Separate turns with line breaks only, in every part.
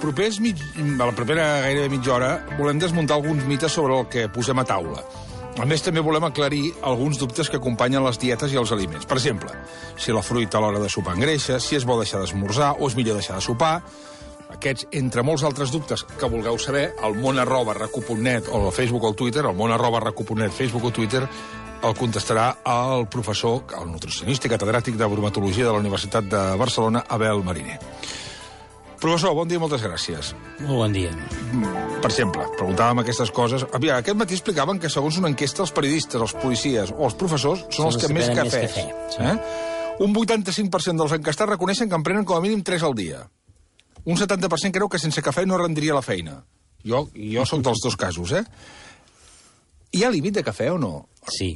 la propera gairebé mitja hora volem desmuntar alguns mites sobre el que posem a taula. A més, també volem aclarir alguns dubtes que acompanyen les dietes i els aliments. Per exemple, si la fruita a l'hora de sopar engreixa, si és bo deixar d'esmorzar o és millor deixar de sopar. Aquests, entre molts altres dubtes que vulgueu saber, al món@recu.net o al Facebook o al Twitter, al món@recu.net, Facebook o Twitter, el contestarà el professor, el nutricionista i catedràtic de bromatologia de la Universitat de Barcelona, Abel Mariner. Professor, bon dia i moltes gràcies.
Molt bon dia.
Per exemple, preguntàvem aquestes coses. Aquest matí explicaven que, segons una enquesta, els periodistes, els policies o els professors són els que més cafès. Un 85% dels enquestats reconeixen que en prenen com a mínim 3 al dia. Un 70% creu que sense cafè no rendria la feina. Jo sóc dels dos casos, Hi ha límit de cafè o no?
Sí.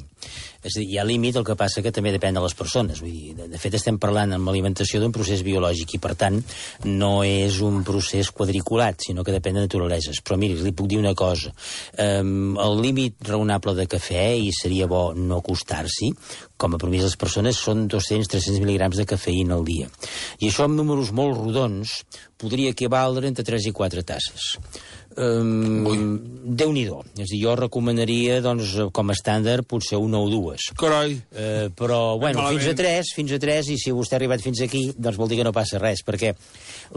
És a dir, hi ha límit, el que passa que també depèn de les persones. Vull dir, de fet, estem parlant amb l'alimentació d'un procés biològic i, per tant, no és un procés quadriculat, sinó que depèn de naturaleses. Però, miri, li puc dir una cosa. El límit raonable de cafè, i seria bo no acostar-s'hi, com a promís les persones, són 200-300 mil·ligrams de cafeïna al dia. I això, amb números molt rodons, podria equivaldre entre 3 i 4 tasses. Déu-n'hi-do. És a dir, jo recomanaria, doncs, com a estàndard, potser una o dues.
Carai!
Però, bueno, fins a 3, i si vostè ha arribat fins aquí, doncs vol dir que no passa res, perquè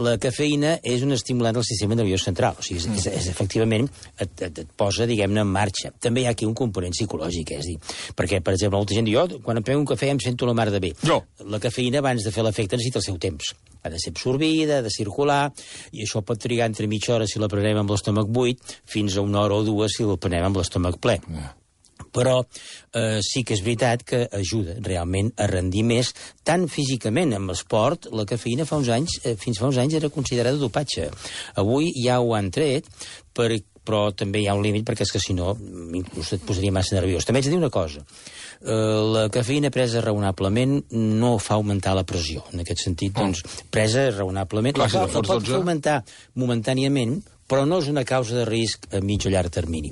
la cafeïna és un estimulant del sistema nerviós central. O sigui, efectivament, et posa, diguem-ne, en marxa. També hi ha aquí un component psicològic, és a dir, perquè, per exemple, molta gent diu, jo, quan em prenc un cafè em sento la mar de bé. La cafeïna, abans de fer l'efecte, necessita el seu temps. Ha de ser absorbida, ha de circular, i això pot trigar entre mitja hora si la prenem amb l'estómac buit, fins a 1 hora o 2 si la prenem amb l'estómac ple. Però sí que és veritat que ajuda realment a rendir més, tant físicament amb l'esport. La cafeïna fins fa uns anys era considerada dopatge. Avui ja ho han tret, però també hi ha un límit, perquè és que si no inclús et posaria massa nerviós. També haig de dir una cosa. La cafeïna presa raonablement no fa augmentar la pressió. En aquest sentit, doncs, presa raonablement... La pot augmentar momentàniament, però no és una causa de risc a mig o llarg termini.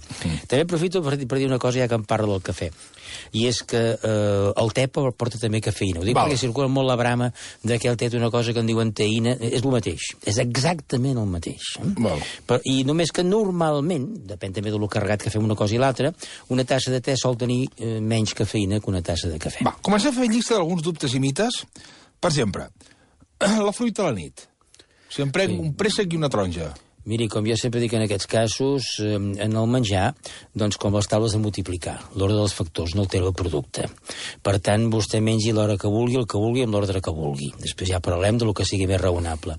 També aprofito per dir una cosa, ja que em parla del cafè, i és que el te porta també cafeïna. Ho dic perquè circula molt la brama que el te té una cosa que en diuen teïna. És el mateix. És exactament el mateix. I només que normalment, depèn també del carregat que fem una cosa i l'altra, una tassa de te sol tenir menys cafeïna que una tassa de cafè.
Comencem a fer llista d'alguns dubtes i mites. Per exemple, la fruita a la nit. Si em prenc un préssec i una taronja.
Miri, com jo sempre dic en aquests casos, en el menjar, doncs com les taules de multiplicar. L'ordre dels factors no altera el producte. Per tant, vostè mengi l'hora que vulgui, el que vulgui, amb l'ordre que vulgui. Després ja parlem del que sigui més raonable.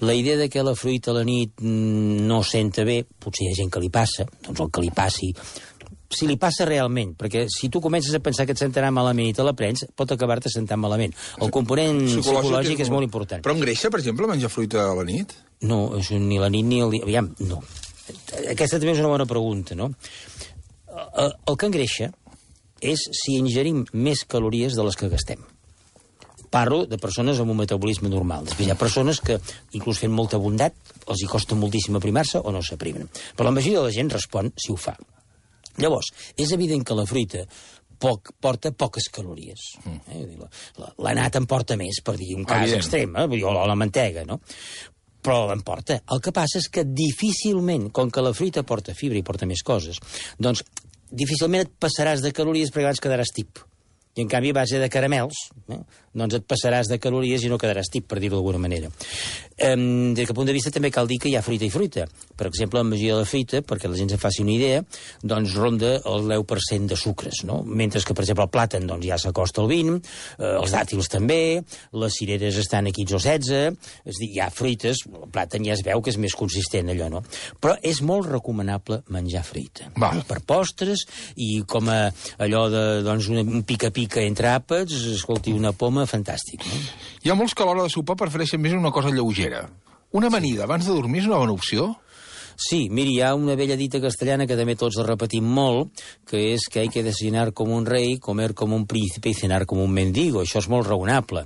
La idea de que la fruita a la nit no senta bé, potser hi ha gent que li passa, doncs el que li passi... Si li passa realment, perquè si tu comences a pensar que et sentarà malament i te la prens, pot acabar-te sentant malament. El component psicològic és molt important.
Però engreixa, per exemple, menjar fruita a la nit?
No, ni la nit ni el dia... Aviam, no. Aquesta també és una bona pregunta, no? El que engreixa és si ingerim més calories de les que gastem. Parlo de persones amb un metabolisme normal. Després hi ha persones que, inclús fent molta bondat, els hi costa moltíssim aprimar-se o no s'aprimen. Però la majoria de la gent respon si ho fa. Llavors, és evident que la fruita porta poques calories. La nata en porta més, per dir un cas extrem, o la mantega, no? Però en porta. El que passa és que difícilment, com que la fruita porta fibra i porta més coses, doncs difícilment et passaràs de calories perquè abans quedaràs tip. I, en canvi, a base de caramels, doncs et passaràs de calories i no quedaràs tip, per dir-ho d'alguna manera. Des d'aquest punt de vista també cal dir que hi ha fruita i fruita. Per exemple, la majoria de la fruita, perquè la gent se'n faci una idea, doncs ronda el 10% de sucres, no? Mentre que, per exemple, el plàtan doncs, ja s'acosta al 20%, els dàtils també, les cireres estan a 15 o 16, és a dir, hi ha fruites, el plàtan ja es veu que és més consistent, allò, no? Però és molt recomanable menjar fruita. Per postres i com a allò de, doncs, un pica-pica entre àpats, escolti, una poma, fantàstic, no?
Hi ha molts que a l'hora de sopar prefereixen més una cosa lleugera. Una amanida abans de dormir és una bona opció?
Sí, miri, hi ha una vella dita castellana que també tots la repetim molt, que és que hay que desayunar com un rei, comer com un príncipe i cenar com un mendigo. Això és molt raonable.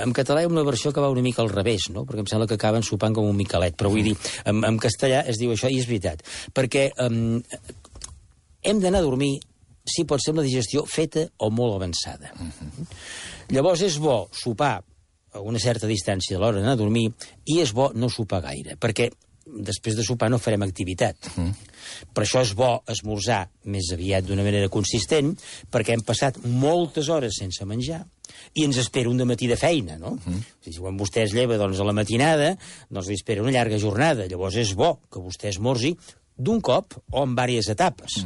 En català hi ha una versió que va una mica al revés, no? Perquè em sembla que acaben sopant com un miquelet, però vull dir, en castellà es diu això, i és veritat. Perquè hem d'anar a dormir, si pot ser amb la digestió feta o molt avançada. Llavors és bo sopar a una certa distància de l'hora d'anar a dormir, i és bo no sopar gaire, perquè després de sopar no farem activitat. Per això és bo esmorzar més aviat d'una manera consistent, perquè hem passat moltes hores sense menjar i ens espera un dematí de feina, no? Si quan vostè es lleva doncs, a la matinada, doncs li espera una llarga jornada. Llavors és bo que vostè esmorzi d'un cop o en diverses etapes.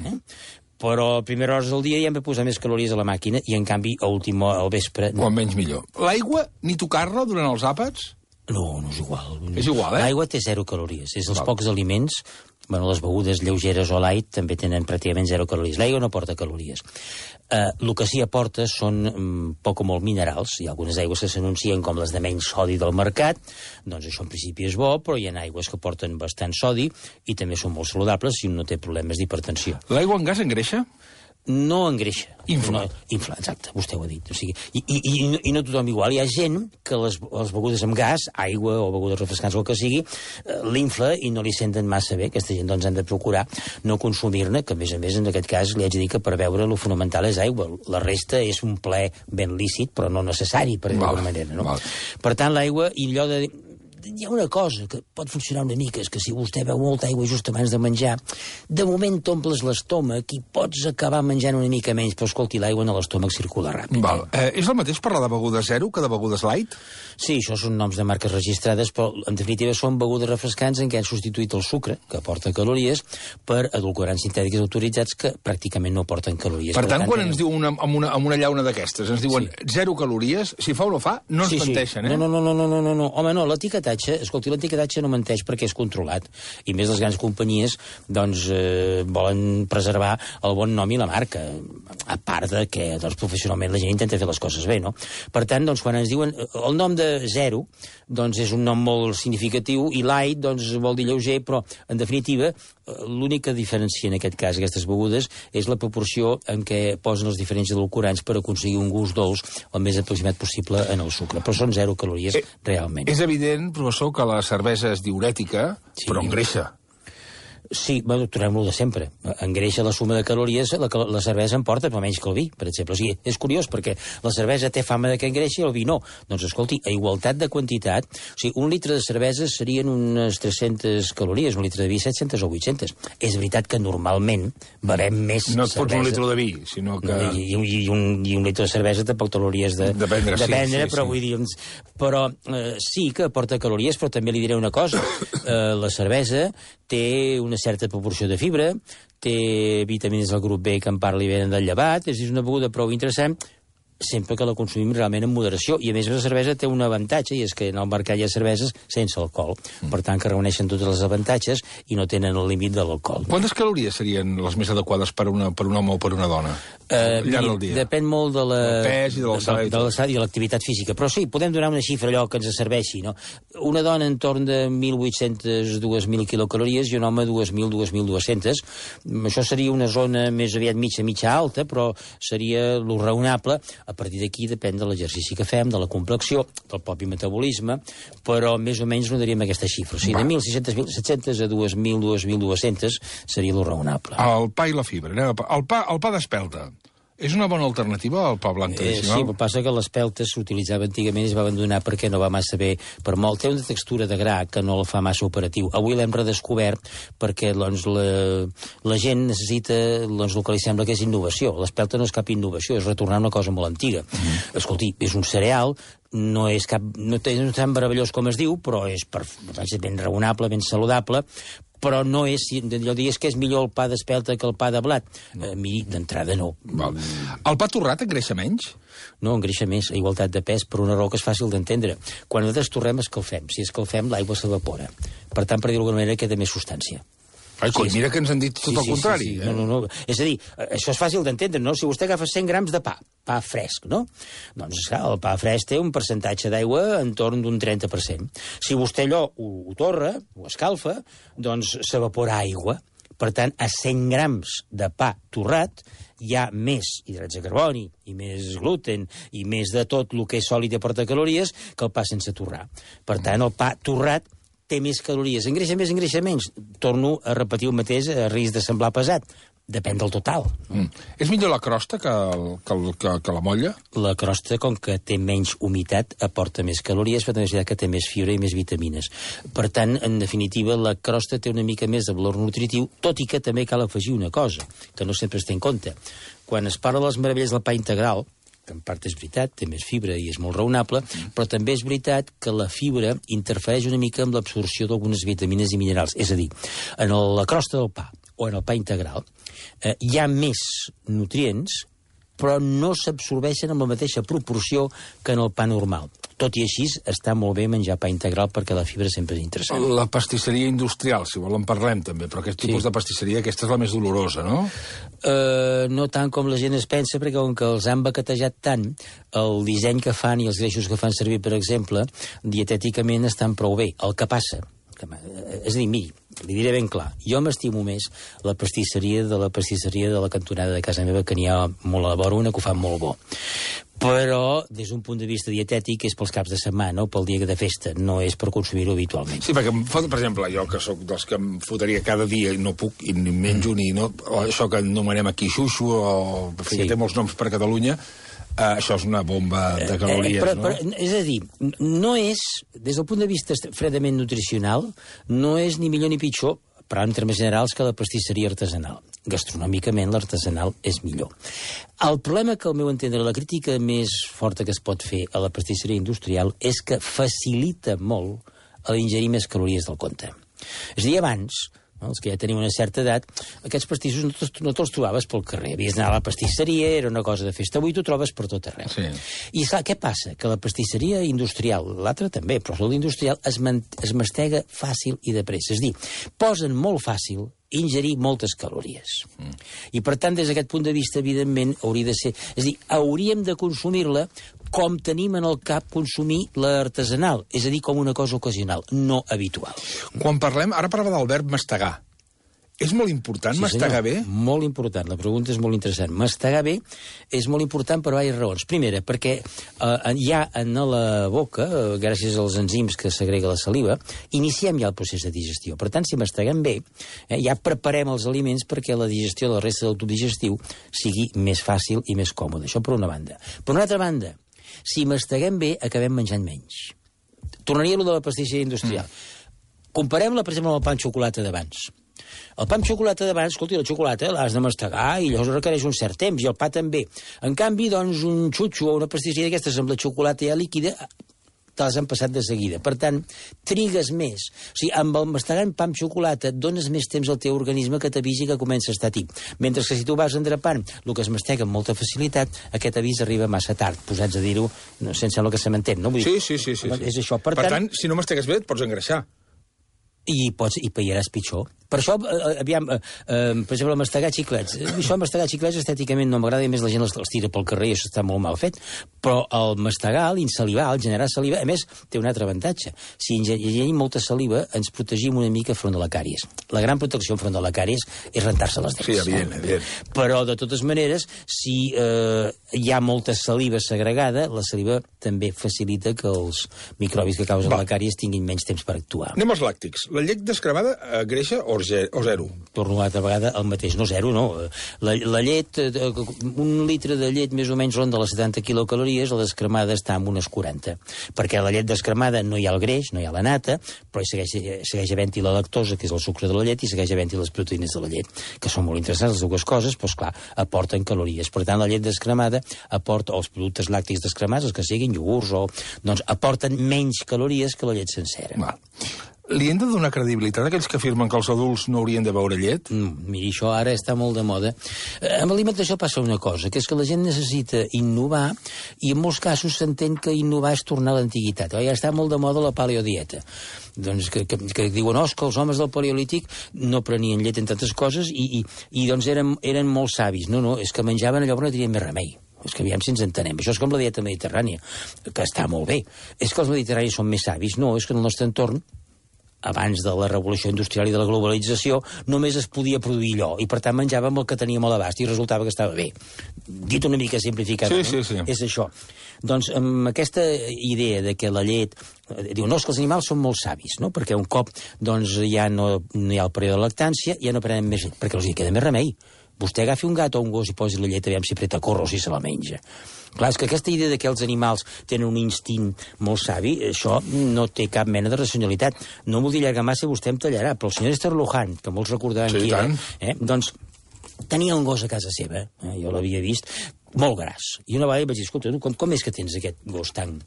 Però a primeres hores del dia ja hem de posar més calories a la màquina i, en canvi, a última, al vespre...
No. Quan menys millor. L'aigua, ni tocar-la durant els àpats?
No, no és igual.
És igual,
L'aigua té 0 calories. És els pocs aliments... Bueno, les begudes lleugeres o light també tenen pràcticament 0 calories. L'aigua no porta calories. El que sí aporta són poc o molt minerals. Hi ha algunes aigües que s'anuncien com les de menys sodi del mercat. Doncs això en principi és bo, però hi ha aigües que porten bastant sodi i també són molt saludables si un no té problemes d'hipertensió.
L'aigua en gas engreixa?
No engreixa.
Infla.
No, infla, exacte, vostè ho ha dit. O sigui, i no tothom igual. Hi ha gent que les begudes amb gas, aigua o begudes refrescants o el que sigui, l'infla i no li senten massa bé. Aquesta gent doncs han de procurar no consumir-ne, que a més en aquest cas li haig de dir que per beure lo fonamental és aigua. La resta és un plaer ben lícit, però no necessari, per dir d'alguna manera. No? Per tant, l'aigua, i allò de... Hi ha una cosa que pot funcionar una mica, és que si vostè beu molta aigua just abans de menjar, de moment t'omples l'estómac i pots acabar menjant una mica menys, però escolti, l'aigua en l'estómac circula ràpid.
És el mateix parlar de begudes zero que de begudes light?
Sí, això són noms de marques registrades, però en definitiva són begudes refrescants en què han substituït el sucre, que aporta calories, per edulcorants sintètics autoritzats que pràcticament no aporten calories.
Per tant, quan ens diu amb una llauna d'aquestes, ens diuen 0 calories, si fa o no fa, no ens menteixen, eh?
No. Home, no, escolti, l'etiquetatge no menteix perquè és controlat. I més les grans companyies, doncs, volen preservar el bon nom i la marca, a part de que, doncs, professionalment la gent intenta fer les coses bé, no? Per tant, doncs, quan ens diuen el nom de zero, doncs és un nom molt significatiu, i light, doncs, vol dir lleuger, però, en definitiva, l'única diferència en aquest cas, aquestes begudes, és la proporció en què posen els diferents edulcorants per aconseguir un gust dolç el més aproximat possible en el sucre. Però són 0 calories realment.
És evident, professor, que la cervesa és diurètica, però engreixa.
Sí, bueno, tornem-lo de sempre. Engreixa la suma de calories, la cervesa en porta, però menys que el vi, per exemple. O sigui, és curiós, perquè la cervesa té fama de que engreixa i el vi no. Doncs, escolti, a igualtat de quantitat, o sigui, un litre de cervesa serien unes 300 calories, un litre de vi 700 o 800. És veritat que normalment bevem més cervesa.
No et fots un litre de vi, sinó que...
I un litre de cervesa tampoc te l'hauries de prendre, però vull dir... Però sí que aporta calories, però també li diré una cosa. La cervesa té una certa proporció de fibra, té vitamines del grup B que en parli bé del llevat, és una beguda prou interessant, sempre que la consumim realment en moderació. I a més la cervesa té un avantatge, i és que en el mercat hi ha cerveses sense alcohol. Per tant, que reuneixen tots els avantatges i no tenen el límit de l'alcohol.
Quantes calories serien les més adequades per un home o per una dona? Al llarg del dia?
Depèn molt de
del pes i de
l'alçada i de l'activitat física. Però sí, podem donar una xifra allò que ens serveixi, no? Una dona en torn de 1.800-2.000 quilocalories i un home 2.000-2.200. Això seria una zona més aviat mitja alta, però seria lo raonable. A partir d'aquí depèn de l'exercici que fem, de la complexió, del propi metabolisme, però més o menys no daríem aquesta xifra. O sigui, de 1.600-1.700 a 2.000, 2.200 seria lo raonable.
El pa i la fibra. El pa d'espelta. És una bona alternativa al pa blanc tradicional?
Sí, però passa que l'espelta s'utilitzava antigament i es va abandonar perquè no va massa bé per molt. Té una textura de gra que no la fa massa operatiu. Avui l'hem redescobert perquè doncs, la gent necessita el que li sembla que és innovació. L'espelta no és cap innovació, és retornar una cosa molt antiga. Escolti, és un cereal, no és tan meravellós com es diu, però és ben raonable, ben saludable, però no és, allò digues que és millor el pa d'espelta que el pa de blat. Miri, d'entrada no.
El pa torrat engreixa menys?
No, engreixa més, a igualtat de pes, per una raó que és fàcil d'entendre. Quan nosaltres torrem, escalfem. Si escalfem, l'aigua s'evapora. Per tant, per dir-ho d'alguna manera, queda més substància.
Ai, mira que ens han dit tot el contrari.
Sí. No. És a dir, això és fàcil d'entendre, no? Si vostè agafa 100 grams de pa fresc, no? Doncs, clar, el pa fresc té un percentatge d'aigua en torn d'un 30%. Si vostè allò ho torra, ho escalfa, doncs s'evapora aigua. Per tant, a 100 grams de pa torrat hi ha més hidrats de carboni i més gluten i més de tot el que és sòlid i aporta calories que el pa sense torrar. Per tant, el pa torrat té més calories. Engreixa més, engreixa menys. Torno a repetir el mateix a risc de semblar pesat. Depèn del total.
És millor la crosta que la molla?
La crosta, com que té menys humitat, aporta més calories, però també és veritat que té més fibra i més vitamines. Per tant, en definitiva, la crosta té una mica més de valor nutritiu, tot i que també cal afegir una cosa, que no sempre es té en compte. Quan es parla de les meravelles del pa integral, que en part és veritat, té més fibra i és molt raonable, però també és veritat que la fibra interfereix una mica amb l'absorció d'algunes vitamines i minerals. És a dir, en la crosta del pa o en el pa integral hi ha més nutrients, però no s'absorbeixen amb la mateixa proporció que en el pa normal. Tot i així, està molt bé menjar pa integral perquè la fibra sempre és interessant.
La pastisseria industrial, si vol en parlem també, però aquest tipus de pastisseria, aquesta és la més dolorosa, no?
No tant com la gent es pensa, perquè com que els han baquetejat tant, el disseny que fan i els greixos que fan servir, per exemple, dietèticament estan prou bé. El que passa, és a dir, miri, li diré ben clar, jo m'estimo més la pastisseria de la cantonada de casa meva, que n'hi ha molt a la vora, una que ho fa molt bo. Però, des d'un punt de vista dietètic, és pels caps de setmana o pel dia de festa, no és per consumir-ho habitualment.
Sí, perquè, per exemple, jo que sóc dels que em fotria cada dia i no puc, i ni menjo, ni no, això que anomenem aquí xuxo, o que té molts noms per Catalunya, això és una bomba de calories, no?
Però, és a dir, no és, des del punt de vista fredament nutricional, no és ni millor ni pitjor, però en termes generals, que la pastisseria artesanal. Gastronòmicament, l'artesanal és millor. El problema que, al meu entendre, la crítica més forta que es pot fer a la pastisseria industrial és que facilita molt l'ingerir més calories del compte. És a dir, abans, els que ja teniu una certa edat, aquests pastissos no te'ls trobaves pel carrer. Havies d'anar a la pastisseria, era una cosa de festa. Avui t'ho trobes per tot arreu.
Sí.
I clar, què passa? Que la pastisseria industrial, l'altra també, però l'industrial es mastega fàcil i de pressa. És a dir, posen molt fàcil ingerir moltes calories. I per tant, des d'aquest punt de vista, evidentment, hauria de ser... És a dir, hauríem de consumir-la com tenim en el cap consumir l'artesanal, és a dir, com una cosa ocasional, no habitual.
Quan parlem, ara parlava del verb mastegar. És molt important mastegar bé?
Molt important, la pregunta és molt interessant. Mastegar bé és molt important per diverses raons. Primera, perquè hi ha en la boca, gràcies als enzims que segrega la saliva, iniciem ja el procés de digestió. Per tant, si masteguem bé, ja preparem els aliments perquè la digestió de la resta del tub digestiu sigui més fàcil i més còmode. Això per una banda. Per una altra banda, si masteguem bé, acabem menjant menys. Tornaria a lo de la pastisseria industrial. Comparem-la, per exemple, amb el pa amb xocolata d'abans. El pa amb xocolata d'abans, escolti, la xocolata l'has de mastegar i llavors requereix un cert temps, i el pa també. En canvi, doncs, un xutxo o una pastisseria d'aquestes amb la xocolata ja líquida te les han passat de seguida. Per tant, trigues més. O sigui, amb el mastegant pa amb xocolata et dones més temps al teu organisme que t'avisi que comença a estar tip. Mentre que si tu vas endrapant el que es mastega amb molta facilitat, aquest avís arriba massa tard, posats a dir-ho, sense el que se m'entén, no? Vull dir,
sí.
És això.
Per tant, si no mastegues bé, et pots engreixar.
I pairàs pitjor. Per això, aviam, per exemple, mastegar xiclets. Això, mastegar xiclets, estèticament no m'agrada, i més la gent els tira pel carrer i això està molt mal fet. Però el mastegar, l'insalivar, el generar saliva, a més, té un altre avantatge. Si ingerim molta saliva, ens protegim una mica front de la càries. La gran protecció front de la càries és rentar-se les dents.
Sí, evident.
Però, de totes maneres, si hi ha molta saliva segregada, la saliva també facilita que els microbis que causen la càries tinguin menys temps per actuar.
Anem als làctics. La llet descremada greixa o zero?
Torno una altra vegada al mateix. No zero, no. La llet, un litre de llet més o menys ronda les 70 quilocalories, la descremada està en unes 40. Perquè la llet descremada no hi ha el greix, no hi ha la nata, però segueix havent-hi la lactosa, que és el sucre de la llet, i segueix havent-hi les proteïnes de la llet, que són molt interessants, les dues coses, doncs clar, aporten calories. Per tant, la llet descremada aporta, o els productes làctics descremats, els que siguin iogurts, doncs aporten menys calories que la llet sencera.
Va. Li hem de donar credibilitat a aquells que afirmen que els adults no haurien de beure llet?
Miri, això ara està molt de moda. Amb l'alimentació passa una cosa, que és que la gent necessita innovar, i en molts casos s'entén que innovar és tornar a l'antiguitat. Ja està molt de moda la paleodieta. Doncs que diuen, que els homes del paleolític no prenien llet, entre altres coses, i doncs eren molt savis. No, és que menjaven allò que no tenien més remei. És que aviam si ens entenem. Això és com la dieta mediterrània, que està molt bé. És que els mediterranis són més savis? No, és que en el nostre entorn, abans de la revolució industrial i de la globalització, només es podia produir allò, i per tant menjàvem el que teníem a l'abast, i resultava que estava bé. Dit una mica simplificadament,
sí.
És això. Doncs amb aquesta idea de que la llet... Diu, és que els animals són molt savis, no? Perquè un cop doncs, ja no hi ha el període de lactància, ja no prenen més llet, perquè els hi queda més remei. Vostè agafi un gat o un gos i posi la llet, aviam si apreta corro o si se la menja. Clar, és que aquesta idea que els animals tenen un instint molt savi, això no té cap mena de racionalitat. No m'ho vull allargar massa, vostè em tallarà, però el senyor Esther Luján, que molts recordaran qui era, doncs tenia un gos a casa seva, jo l'havia vist, molt gras. I una vegada vaig dir, escolta, com és que tens aquest gos tan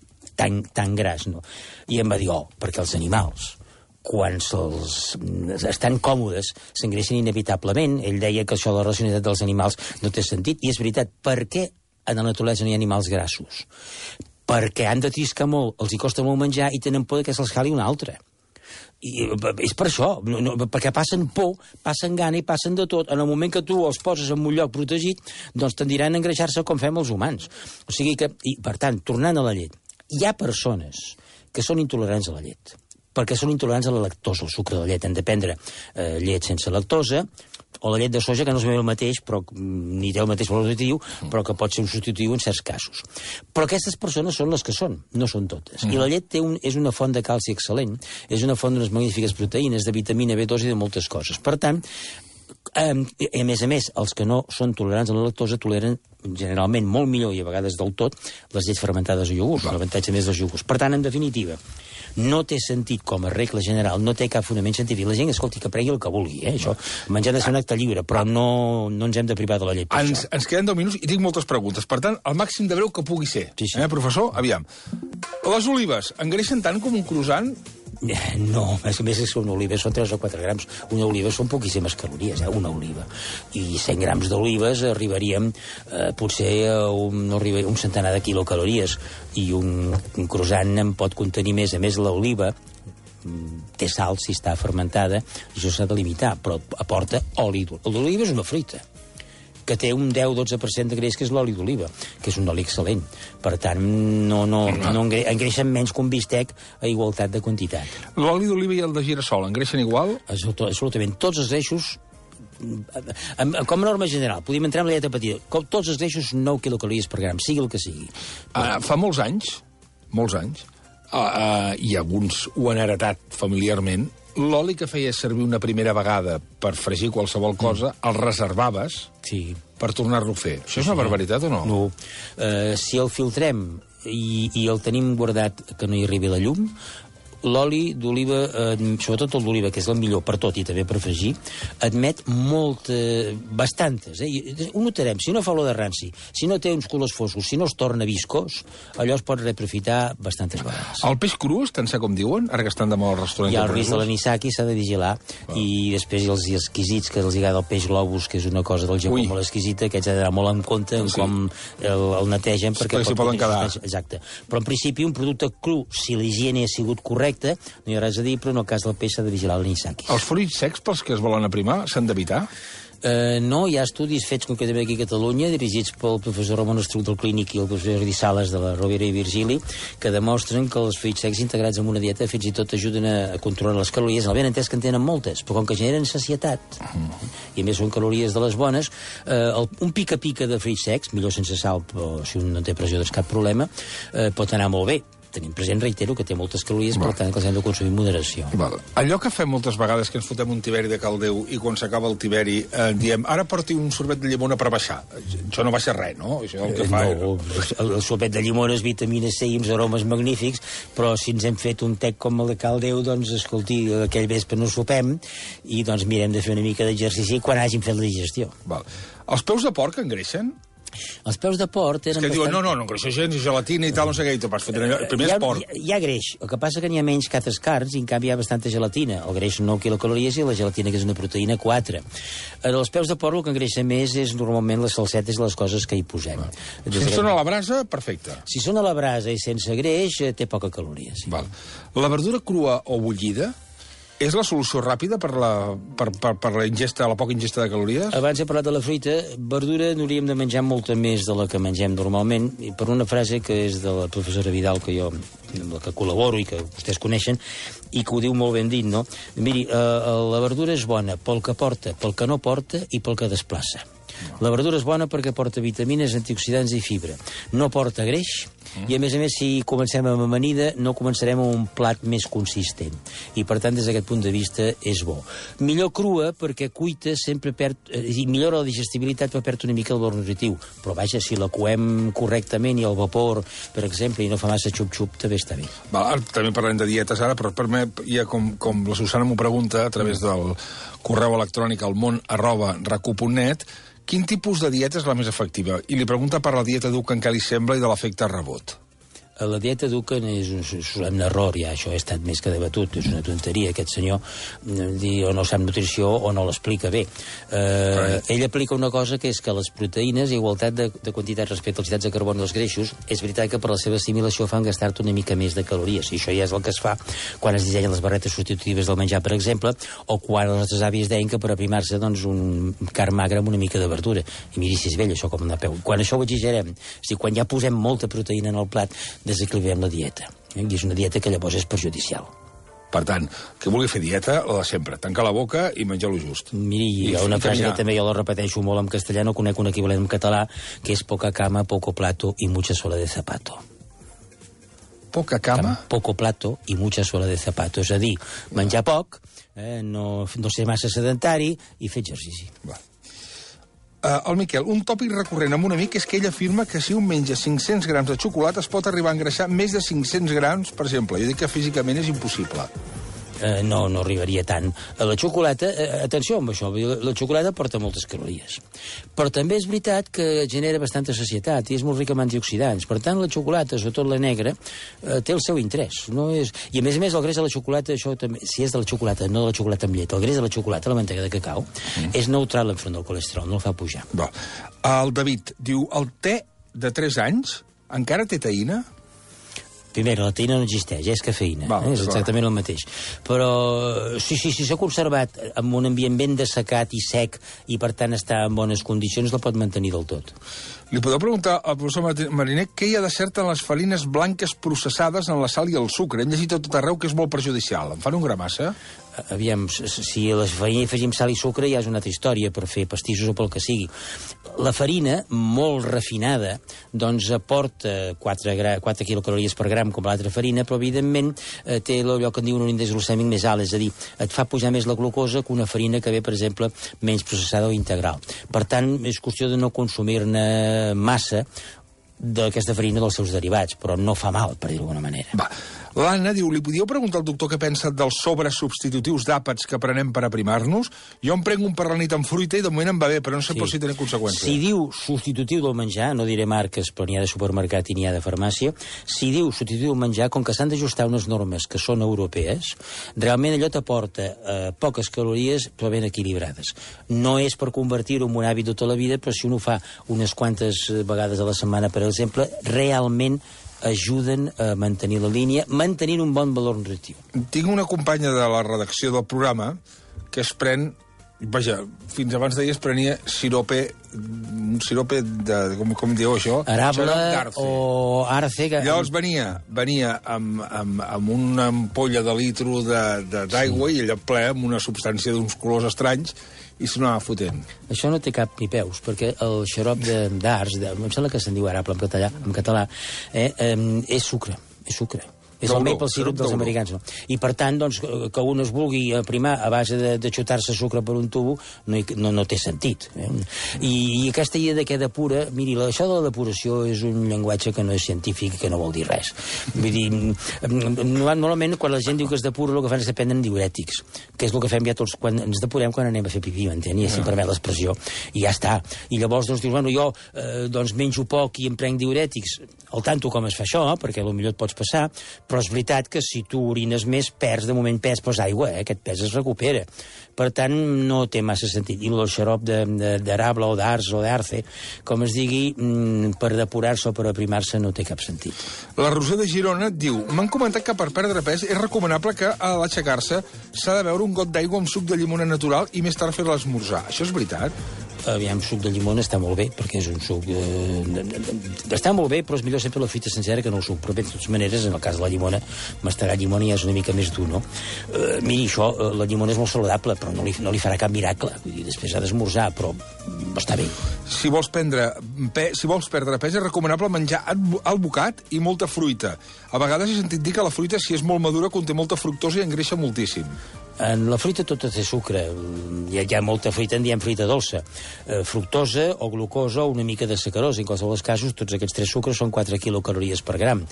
gras, no? I em va dir, perquè els animals, quan estan còmodes, s'engreixen inevitablement. Ell deia que això de la racionalitat dels animals no té sentit, i és veritat. Per què a la naturalesa no hi ha animals grassos? Perquè han de triscar molt, els hi costa molt menjar i tenen por que se'ls cali un altre. I és per això, perquè passen por, passen gana i passen de tot. En el moment que tu els poses en un lloc protegit, doncs tendiran a engreixar-se com fem els humans. O sigui que, i per tant, tornant a la llet, hi ha persones que són intolerants a la llet, perquè són intolerants a la lactosa, al sucre de la llet. Han de prendre llet sense lactosa, o la llet de soja, que no és el mateix, però ni té el mateix valor nutritiu, però que pot ser un substitutiu en certs casos. Però aquestes persones són les que són, no són totes. I la llet és una font de calci excel·lent, és una font d'unes magnífiques proteïnes, de vitamina B2 i de moltes coses. Per tant, a més, els que no són tolerants a la lactosa toleren generalment molt millor i a vegades del tot les llets fermentades o iogurts, l'avantatge més dels iogurts. Per tant, en definitiva, no té sentit com a regla general, no té cap fonament científic. La gent, escolti, que pregui el que vulgui, això. Menjar ha de ser un acte lliure, però no ens hem de privar de la llet per això.
Ens queden 10 minuts i tinc moltes preguntes. Per tant, el màxim de breu que pugui ser.
Sí.
Professor, aviam. Les olives engreixen tant com un croissant?
No, més que una oliva són 3 o 4 grams. Una oliva són poquíssimes calories, una oliva. I 100 grams d'olives arribaríem potser a un centenar de quilocalories. I un croissant en pot contenir més. A més, l'oliva té sal si està fermentada, això s'ha de limitar, però aporta oli d'oliva. L'oliva és una fruita que té un 10-12% de greix, que és l'oli d'oliva, que és un oli excel·lent. Per tant, no engreixen menys que un bistec a igualtat de quantitat.
L'oli d'oliva i el de girassol engreixen igual?
Absolutament. Tots els greixos, com a norma general, podríem entrar en la dieta petita, tots els greixos 9 quilocalories per gram, sigui el que sigui.
Fa molts anys, i alguns ho han heretat familiarment, l'oli que feies servir una primera vegada per fregir qualsevol cosa, el reservaves per tornar-lo a fer. Això és una barbaritat o no?
No. Si el filtrem i el tenim guardat que no hi arribi la llum, l'oli d'oliva, sobretot el d'oliva, que és el millor per tot i també per fregir, admet bastantes. Ho notarem. Si no fa olor de ranci, si no té uns colors foscos, si no es torna viscós, allò es pot reaprofitar bastantes vegades.
El peix cru és tan sa com diuen, ara que estan de moda al restaurant?
Hi ha el risc de l'anisaki, s'ha de vigilar, i després els exquisits, que els agrada el peix globus, que és una cosa del Japó molt exquisita, que haig d'anar molt en compte en com el netegen, perquè
s'hi poden quedar.
Exacte. Però en principi un producte cru, si l'higiene ha sigut correcta, no hi ha res a dir, però en el cas del peix s'ha de vigilar l'anisakis.
Els fruits secs, pels que es volen aprimar, s'han d'evitar?
No, hi ha estudis fets concretament aquí a Catalunya, dirigits pel professor Ramon Estruc del Clínic i el professor Jordi Sales de la Rovira i Virgili, que demostren que els fruits secs integrats en una dieta fins i tot ajuden a controlar les calories, el ben entès que en tenen moltes, però com que generen sacietat, i a més són calories de les bones, un pica-pica de fruits secs, millor sense sal, però si un no té pressió doncs cap problema, pot anar molt bé. Tenim present, reitero, que té moltes calories, per tant que els hem de consumir amb moderació.
Allò que fem moltes vegades, que ens fotem un tiberi de caldeu i quan s'acaba el tiberi diem, ara porti un sorbet de llimona per baixar. Això no baixa res, no? Això el que fa
el sorbet de llimona és vitamina C i uns aromes magnífics, però si ens hem fet un tec com el de caldeu, doncs, escolti, aquell vespre no sopem i doncs mirem de fer una mica d'exercici quan hàgim fet la digestió.
Els peus de porc engreixen?
Els peus de porc eren...
És que diuen, no engreixen gens, i gelatina i tal, no sé què, i te'l vas fotre. Primer és porc.
Hi ha greix, el que passa que n'hi ha menys que altres carns, i en canvi hi ha bastanta gelatina. El greix 9 quilocalories i la gelatina, que és una proteïna, 4. Els peus de porc el que engreixa més és normalment les salsetes i les coses que hi posem.
Si són a la brasa, perfecte.
Si són a la brasa i sense greix, té poca caloria.
La verdura crua o bullida és la solució ràpida per la ingesta, la poca ingesta de calories?
Abans he parlat de la fruita. Verdura n'hauríem de menjar molta més de la que mengem normalment, i per una frase que és de la professora Vidal, que jo amb la que col·laboro i que vostès coneixen, i que ho diu molt ben dit, no? Miri, la verdura és bona pel que porta, pel que no porta i pel que desplaça. La verdura és bona perquè porta vitamines, antioxidants i fibra. No porta greix, i a més, si comencem amb amanida, no començarem amb un plat més consistent. I, per tant, des d'aquest punt de vista, és bo. Millor crua, perquè cuita sempre perd... I millora la digestibilitat, però perd una mica el valor nutritiu. Però, vaja, si la coem correctament i al vapor, per exemple, i no fa massa xup-xup, també està bé.
També parlem de dietes ara, però per mi, ja com la Susana m'ho pregunta, a través del correu electrònic almon@racu.net, quin tipus de dieta és la més efectiva? I li pregunta per la dieta Dukan, què li sembla, i de l'efecte rebot.
La dieta Dukan és un error, ja, això ha estat més que debatut, és una tonteria, aquest senyor o no sap nutrició o no l'explica bé. Ell aplica una cosa que és que les proteïnes, igualtat de quantitat respecte als hidrats de carboni dels greixos, és veritat que per la seva assimilació fan gastar-te una mica més de calories, i això ja és el que es fa quan es dissenyen les barretes substitutives del menjar, per exemple, o quan els nostres avis deien que per aprimar-se un carn magre amb una mica de verdura. I miri si és vell, això com de peu. Quan això ho exagerem, quan ja posem molta proteïna en el plat, desequilibrem la dieta. I és una dieta que llavors és perjudicial.
Per tant, que vulgui fer dieta, la de sempre. Tancar la boca i menjar-lo just.
Miri, hi ha una frase que també jo la repeteixo molt en castellà, no conec un equivalent en català, que és poca cama, poco plato y mucha suela de zapato.
Poca cama?
Poco plato y mucha suela de zapato. És a dir, menjar poc, no ser massa sedentari i fer exercici.
El Miquel, un tòpic recurrent amb un amic és que ell afirma que si un menja 500 grams de xocolata es pot arribar a engreixar més de 500 grams, per exemple. Jo dic que físicament és impossible.
No arribaria tant. La xocolata, atenció amb això, la xocolata porta moltes calories. Però també és veritat que genera bastanta sacietat i és molt rica en antioxidants. Per tant, la xocolata, sobretot la negra, té el seu interès. I a més, el greix de la xocolata, això també, si és de la xocolata, no de la xocolata amb llet, el greix de la xocolata, la mantega de cacau, és neutral enfront del colesterol, no el fa pujar.
El David diu, el te de 3 anys encara té teïna?
Primera, la teïna no existeix, és cafeïna, és exactament el mateix. Però si s'ha conservat en un ambient ben dessecat i sec i per tant està en bones condicions, la pot mantenir del tot.
Li podeu preguntar al professor Mariner què hi ha de cert en les farines blanques processades en la sal i el sucre. Hem llegit a tot arreu que és molt perjudicial. En fan un gra massa?
Aviam, si a la farina hi afegim sal i sucre ja és una altra història per fer pastissos o pel que sigui. La farina, molt refinada, doncs aporta 4 quilocalories per gram com l'altra farina, però evidentment té allò que en diuen un índex glucèmic més alt, és a dir, et fa pujar més la glucosa que una farina que ve, per exemple, menys processada o integral. Per tant, és qüestió de no consumir-ne massa d'aquesta farina dels seus derivats, però no fa mal, per dir-ho d'alguna manera.
L'Anna diu, li podíeu preguntar al doctor què pensa dels sobres substitutius d'àpats que prenem per aprimar-nos? Jo em prenc un per la nit amb fruita i de moment em va bé, però no sé si tenen conseqüències.
Si diu substitutiu del menjar, no diré marques, però n'hi ha de supermercat i n'hi ha de farmàcia, si diu substitutiu del menjar, com que s'han d'ajustar unes normes que són europees, realment allò t'aporta poques calories, però ben equilibrades. No és per convertir-ho en un hàbit tota la vida, però si un ho fa unes quantes vegades a la setmana, per exemple, realment ajuden a mantenir la línia, mantenint un bon valor nutritiu.
Tinc una companya de la redacció del programa que es pren, fins abans d'ahir es prenia un sirope de, com diu això?
Arable o arce.
Llavors venia amb una ampolla de litro d'aigua i allò ple amb una substància d'uns colors estranys i s'anava fotent.
Això no té cap ni peus, perquè el xarop d'arç, em sembla que se'n diu arable en català, és sucre. És el maple syrup dels americans. No? I per tant, doncs, que un es vulgui aprimar a base de xutar-se sucre per un tubo no té sentit. I aquesta idea de què depura... Miri, això de la depuració és un llenguatge que no és científic i que no vol dir res. Vull dir, normalment, quan la gent diu que es depura, el que fan és que prenen diurètics, que és el que fem ja tots quan ens depurem quan anem a fer pipí, m'entén? I si em permet l'expressió. I ja està. I llavors, doncs, dius, bueno, jo menjo poc i em prenc diurètics. Al tanto com es fa això, perquè potser et pots passar, però és veritat que si tu orines més, de moment pes aigua, aquest pes es recupera. Per tant, no té massa sentit. I el xarop d'arable o d'arç o d'arce, com es digui, per depurar-se o per aprimar-se no té cap sentit.
La Roser de Girona diu, m'han comentat que per perdre pes és recomanable que a l'aixecar-se s'ha de beure un got d'aigua amb suc de llimona natural i més tard fer l'esmorzar. Això és veritat?
Aviam, suc de llimona està molt bé, perquè és un suc... Està molt bé, però és millor sempre la fruita sencera que no el suc. Però bé, de totes maneres, en el cas de la llimona, mastegar llimona ja és una mica més dur, no? Miri, això, la llimona és molt saludable, però no li farà cap miracle. Vull dir, després ha d'esmorzar, però està bé.
Si vols perdre pes, és recomanable menjar albocat i molta fruita. A vegades he sentit dir que la fruita, si és molt madura, conté molta fructosa i engreixa moltíssim.
En la fruita tota té sucre. Hi ha molta fruita, en diem fruita dolça. Fructosa o glucosa o una mica de sacarosa. En qualsevol dels casos, tots aquests 3 sucres són 4 quilocalories per gram.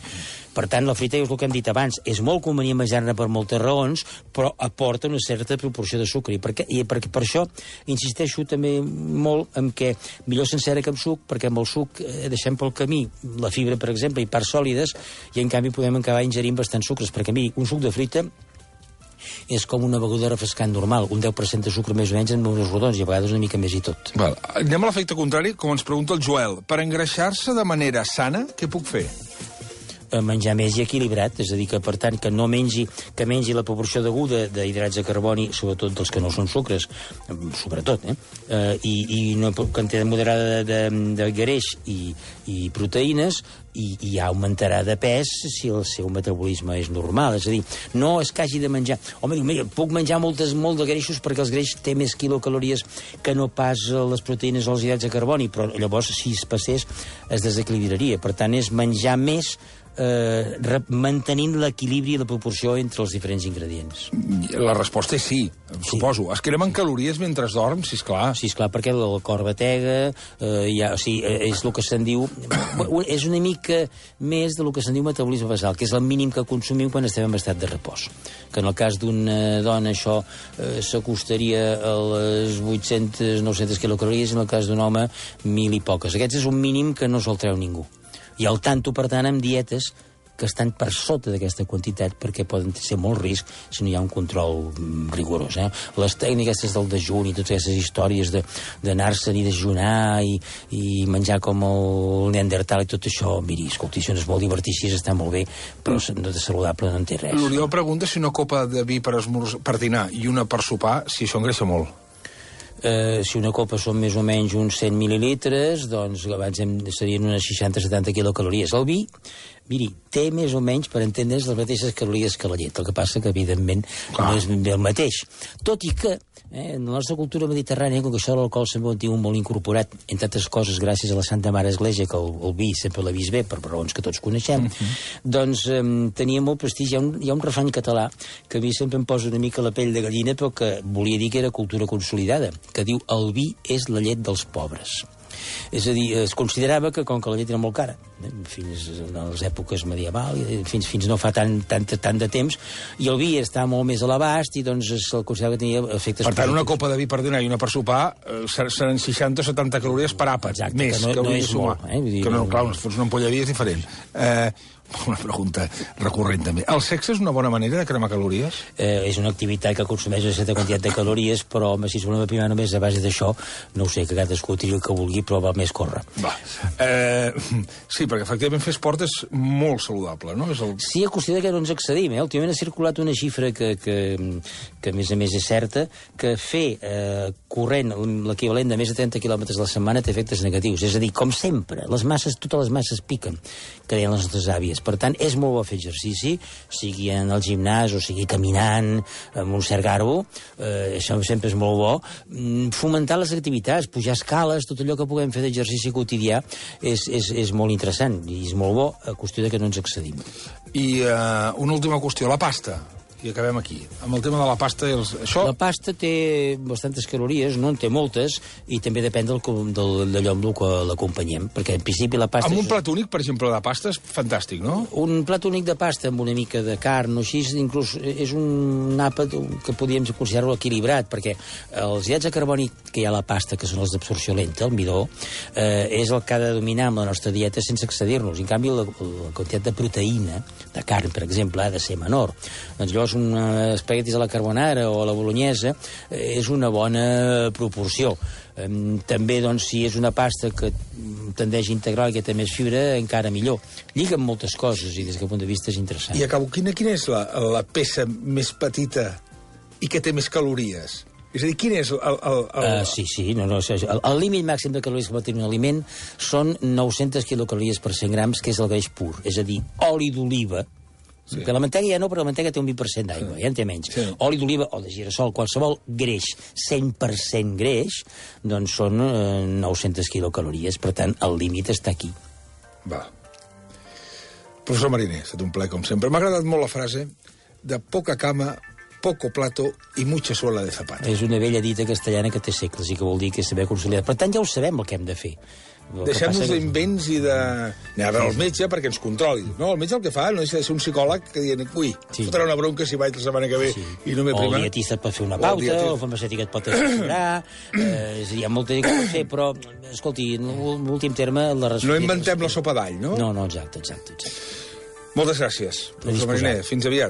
Per tant, la fruita, és el que hem dit abans, és molt convenient menjar-ne per moltes raons, però aporta una certa proporció de sucre. I per això insisteixo també molt en què millor sencera que amb suc, perquè amb el suc deixem pel camí la fibra, per exemple, i parts sòlides, i en canvi podem acabar ingerint bastants sucres, perquè miri, un suc de fruita és com una beguda refrescant normal, un 10% de sucre més o menys en números rodons, i a vegades una mica més i tot.
Val. Anem a l'efecte contrari, com ens pregunta el Joel. Per engreixar-se de manera sana, què puc fer?
Menjar més i equilibrat, és a dir, que per tant que mengi la proporció deguda d'hidrats de carboni, sobretot dels que no són sucres, sobretot, i una quantitat moderada de greix i proteïnes, i ja augmentarà de pes si el seu metabolisme és normal. És a dir, no és que hagi de menjar... Home, puc menjar molt de greixos perquè els greix té més quilocalories que no pas les proteïnes o els hidrats de carboni, però llavors, si es passés, es desequilibraria. Per tant, és menjar més mantenint l'equilibri i la proporció entre els diferents ingredients.
La resposta és sí, suposo. Es cremen calories mentre dorms, sisplau.
Sí, esclar, perquè el cor batega, és el que se'n diu... És una mica més del que se'n diu metabolisme basal, que és el mínim que consumim quan estem en estat de repòs. Que en el cas d'una dona això s'acostaria a les 800-900 quilocalories, en el cas d'un home 1.000 i poques. Aquest és un mínim que no se'l treu ningú. I al tanto, per tant, amb dietes que estan per sota d'aquesta quantitat perquè poden ser molt risc si no hi ha un control rigorós. Les tècniques del dejun i totes aquestes històries d'anar-se'n i dejunar i menjar com el neandertal i tot això, miri, escolti, això no és molt divertit, està molt bé, però de saludable no en té res.
L'Oriol pregunta si una copa de vi per dinar i una per sopar, si això engreixa molt.
Si una copa són més o menys uns 100 mil·lilitres, doncs abans serien unes 60-70 quilocalories. El vi, miri, té més o menys, per entendre's, les mateixes calories que la llet. El que passa que, evidentment, no és ben bé el mateix. Tot i que, en la nostra cultura mediterrània, com que això de l'alcohol sempre ho tingut molt incorporat, entre altres coses, gràcies a la Santa Mare Església, que el vi sempre l'ha vist bé, per raons que tots coneixem, doncs tenia molt prestigi. Hi ha un refrany català que a mi sempre em posa una mica la pell de gallina, però que volia dir que era cultura consolidada, que diu el vi és la llet dels pobres. És a dir, es considerava que, com que la llet era molt cara, fins a les èpoques medievals, fins no fa tant de temps, i el vi està molt més a l'abast, i doncs se'l considerava que tenia efectes...
Per tant, una copa de vi per dinar i una per sopar seran 60 o 70 calories per àpat.
Exacte,
més,
que no és molt.
Que no, clar, si fos una ampolla de vi és diferent. Una pregunta recurrent, també. El sexe és una bona manera de cremar calories?
És una activitat que consumeix una certa quantitat de calories, però, home, si es volem aprimar només a base d'això, no ho sé, que cadascú tiri el que vulgui, però val més córrer.
Sí, perquè efectivament fer esport és molt saludable, no?
Sí, a qüestió que no ens excedim. Últimament ha circulat una xifra que a més a més és certa, que fer corrent l'equivalent de més de 30 quilòmetres a la setmana té efectes negatius. És a dir, com sempre, totes les masses piquen, que deien les nostres àvies. Per tant, és molt bo fer exercici, sigui en el gimnàs o sigui caminant amb un cert garbo, això sempre és molt bo. Fomentar les activitats, pujar escales, tot allò que puguem fer d'exercici quotidià és molt interessant i és molt bo, a qüestió de que no ens excedim.
I una última qüestió, la pasta. I acabem aquí. Amb el tema de la pasta...
La pasta té bastantes calories, no en té moltes, i també depèn d'allò amb el que l'acompanyem, perquè en principi la pasta...
Amb un plat únic, per exemple, de pasta és fantàstic, no?
Un plat únic de pasta amb una mica de carn o així, inclús és un àpat que podríem considerar-lo equilibrat, perquè els hidrats de carboni que hi ha a la pasta, que són els d'absorció lenta, el midó, és el que ha de dominar amb la nostra dieta sense excedir-nos. En canvi, la quantitat de proteïna, de carn, per exemple, ha de ser menor. Doncs llavors un espaguetis a la carbonara o a la bolognesa és una bona proporció. També, doncs, si és una pasta que tendeix a integrar i que té més fibra, encara millor. Lliga amb moltes coses i des d'aquest punt de vista és interessant.
I acabo, quina és la peça més petita i que té més calories? És a dir, quin és
Sí, el límit màxim de calories que pot tenir un aliment són 900 quilocalories per 100 grams, que és el greix pur, és a dir, oli d'oliva. Sí. Que la mantega ja no, però la mantega té un 20% d'aigua, ja en té menys. Sí. Oli d'oliva o de girassol, qualsevol greix, 100% greix, doncs són 900 quilocalories. Per tant, el límit està aquí.
Va. Professor Mariner, ha estat un plaer, com sempre. M'ha agradat molt la frase de poca cama, poco plato i mucha suela de zapato.
És una vella dita castellana que té segles i que vol dir que és saber conciliar. Per tant, ja ho sabem el que hem de fer.
Deixem-nos d'invents i de... Anem a veure el metge perquè ens controli. No, el metge el que fa no deixa de ser un psicòleg que dient, ui, fotrà una bronca si vaig la setmana que ve i no m'he primat.
O el dietista et pot fer una pauta, o el farmacèutic et pot assessorar, hi ha molta gent que pot fer, però, escolti, en l'últim terme...
No inventem la sopa d'all, no?
No, exacte.
Moltes gràcies, professor Mariner. Fins aviat.